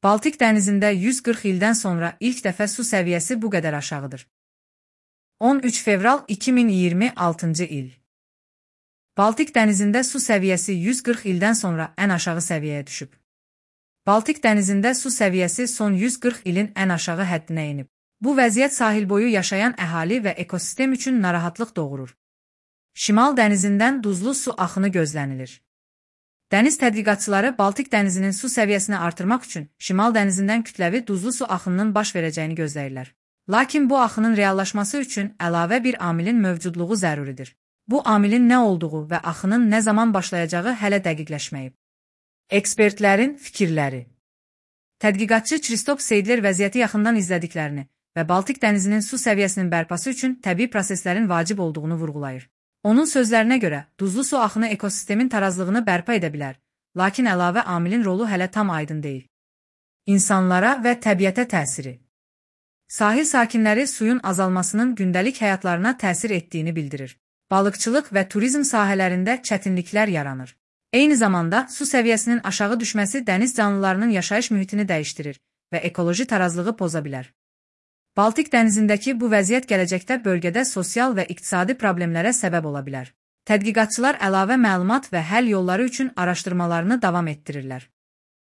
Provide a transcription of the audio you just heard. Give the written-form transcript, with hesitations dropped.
Baltik dənizində 140 ildən sonra ilk dəfə su səviyyəsi bu qədər aşağıdır. 13 fevral 2026-cı il. Baltik dənizində su səviyyəsi 140 ildən sonra ən aşağı səviyyəyə düşüb. Baltik dənizində su səviyyəsi son 140 ilin ən aşağı həddinə enib. Bu vəziyyət sahil boyu yaşayan əhali və ekosistem üçün narahatlıq doğurur. Şimal dənizindən duzlu su axını gözlənilir. Dəniz tədqiqatçıları Baltik dənizinin su səviyyəsini artırmaq üçün Şimal dənizindən kütləvi duzlu su axınının baş verəcəyini gözləyirlər. Lakin bu axının reallaşması üçün əlavə bir amilin mövcudluğu zəruridir. Bu amilin nə olduğu və axının nə zaman başlayacağı hələ dəqiqləşməyib. Ekspertlərin fikirləri. Tədqiqatçı Kristop Seydler vəziyyəti yaxından izlədiklərini və Baltik dənizinin su səviyyəsinin bərpası üçün təbii proseslərin vacib olduğunu vurğulayır. Onun sözlərinə görə, duzlu su axını ekosistemin tarazlığını bərpa edə bilər, lakin əlavə amilin rolu hələ tam aydın deyil. İnsanlara və təbiətə təsiri. Sahil sakinləri suyun azalmasının gündəlik həyatlarına təsir etdiyini bildirir. Balıqçılıq və turizm sahələrində çətinliklər yaranır. Eyni zamanda su səviyyəsinin aşağı düşməsi dəniz canlılarının yaşayış mühitini dəyişdirir və ekoloji tarazlığı poza bilər. Baltik dənizindəki bu vəziyyət gələcəkdə bölgədə sosial və iqtisadi problemlərə səbəb ola bilər. Tədqiqatçılar əlavə məlumat və həll yolları üçün araşdırmalarını davam etdirirlər.